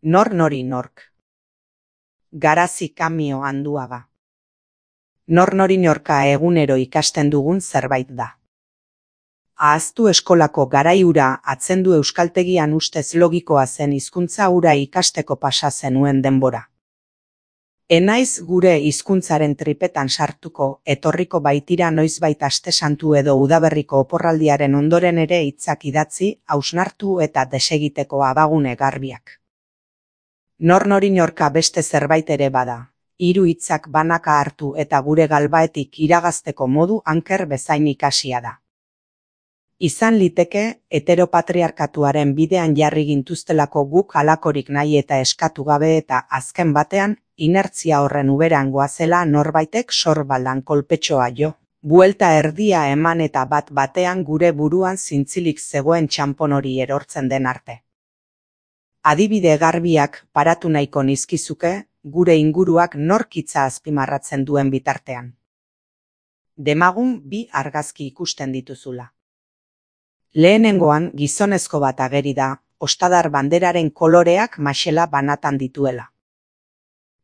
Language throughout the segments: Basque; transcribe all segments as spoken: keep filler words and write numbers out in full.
Nor nori nork. Garazi Kamio Anduaga. Nor nori norka egunero ikasten dugun zerbait da. Ahaztu eskolako garai hura atzendu euskaltegian ustez logikoa zen hizkuntza hura ikasteko pasa zenuen denbora. Enaiz gure hizkuntzaren tripetan sartuko, etorriko baitira noizbait aste santu edo udaberriko oporraldiaren ondoren ere hitzak idatzi, hausnartu eta desegiteko abagune garbiak. Nor nori norka beste zerbait ere bada, hiru hitzak banaka hartu eta gure galbaetik iragazteko modu anker bezain ikasia da. Izan liteke, heteropatriarkatuaren bidean jarri gintuztelako guk halakorik nahi eta eskatu gabe eta azken batean, inertzia horren uberan goazela norbaitek sorbaldan kolpetxoa jo. Buelta erdia eman eta bat batean gure buruan zintzilik zegoen txanpon hori erortzen den arte. Adibide garbiak paratu nahiko nizkizuke, gure inguruak norkitza azpimarratzen duen bitartean. Demagun bi argazki ikusten dituzula. Lehenengoan gizonezko bat ageri da, ostadar banderaren koloreak maxela banatan dituela.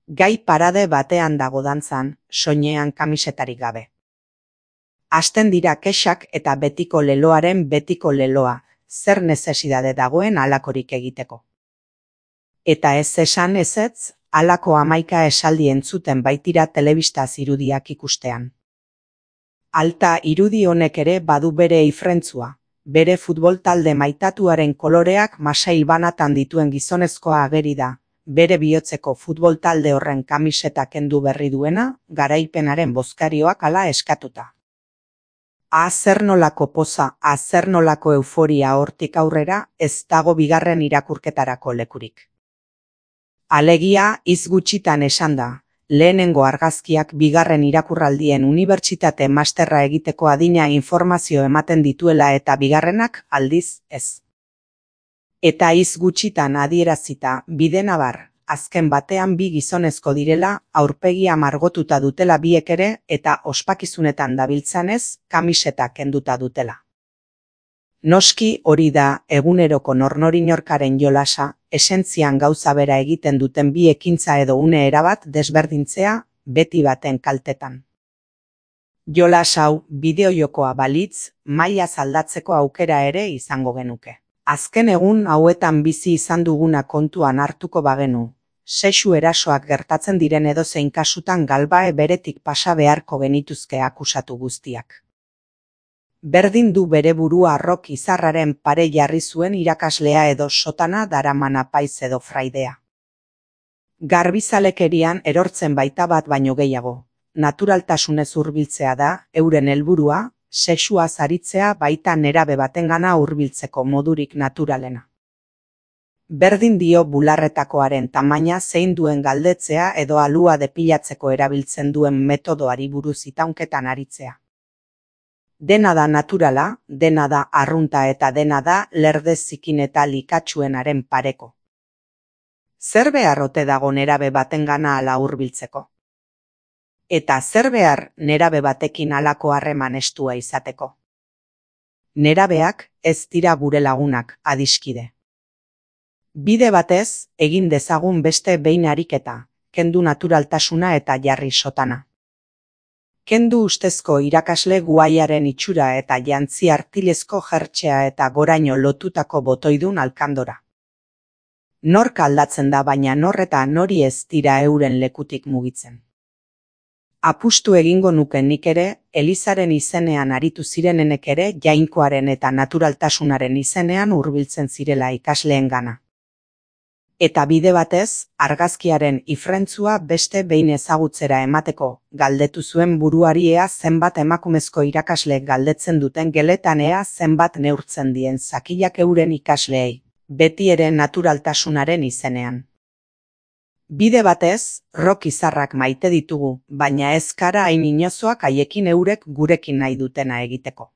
Gai parade batean dago dantzan, soinean kamisetarik gabe. Hasten dira kexak eta betiko leloaren betiko leloa, zer nezesidade dagoen halakorik egiteko. Eta ez esan ezetz, halako hamaika esaldi entzuten baitira telebistaz irudiak ikustean. Alta irudi honek ere badu bere ifrentzua. Bere futbol talde maitatuaren koloreak masail banatan dituen gizonezkoa ageri da, bere bihotzeko futbol talde horren kamiseta kendu berri duena, garaipenaren bozkarioak hala eskatuta. Azernolako poza, azernolako euforia hortik aurrera, ez dago bigarren irakurketarako lekurik. Alegia, hitz gutxitan esan da. Lehenengo argazkiak bigarren irakurraldien unibertsitate masterra egiteko adina informazio ematen dituela eta bigarrenak aldiz ez. Eta hitz gutxitan adierazita bidenabar, azken batean bi gizonezko direla, aurpegia margotuta dutela biek ere eta ospakizunetan dabiltzanez, kamiseta kenduta dutela. Noski hori da eguneroko nornorinorkaren jolasa, esentzian gauza bera egiten duten bi ekintza edo une erabat desberdintzea, beti baten kaltetan. Jolas hau bideojokoa balitz, maila aldatzeko aukera ere izango genuke. Azken egun hauetan bizi izan duguna kontuan hartuko bagenu, sexu erasoak gertatzen diren edozein kasutan galbae beretik pasa beharko genituzke akusatu guztiak. Berdin du bere burua arrok izarraren pare jarri zuen irakaslea edo sotana daraman apaiz edo fraidea. Garbizalekerian erortzen baita bat baino gehiago, naturaltasunez hurbiltzea da, euren helburua, sexua zaritzea baita nerabe batengana hurbiltzeko modurik naturalena. Berdin dio bularretakoaren tamaina zein duen galdetzea edo alua depilatzeko erabiltzen duen metodoari buruz itaunketan aritzea. Dena da naturala, dena da arrunta eta dena da lerde zikin eta likatsuenaren pareko. Zer behar ote dago nerabe batengana ala hurbiltzeko? Eta zer behar nerabe batekin halako harreman estua izateko? Nerabeak ez dira gure lagunak, adiskide. Bide batez, egin dezagun beste behin ariketa, kendu naturaltasuna eta jarri sotana. Kendu ustezko irakasle guaiaren itxura eta jantzi artilezko jertxea eta goraino lotutako botoidun alkandora. Nork aldatzen da baina nor eta nori ez dira euren lekutik mugitzen. Apustu egingo nuke nik ere, Elizaren izenean aritu zirenenek ere jainkoaren eta naturaltasunaren izenean hurbiltzen zirela ikasleengana. Eta bide batez, argazkiaren ifrentzua beste behin ezagutzera emateko, galdetu zuen buruari ea zenbat emakumezko irakasleek galdetzen duten geletan ea zenbat neurtzen dien zakilak euren ikasleei, beti ere naturaltasunaren izenean. Bide batez, rok izarrak maite ditugu, baina ez gara hain inozoak haiekin eurek gurekin nahi dutena egiteko.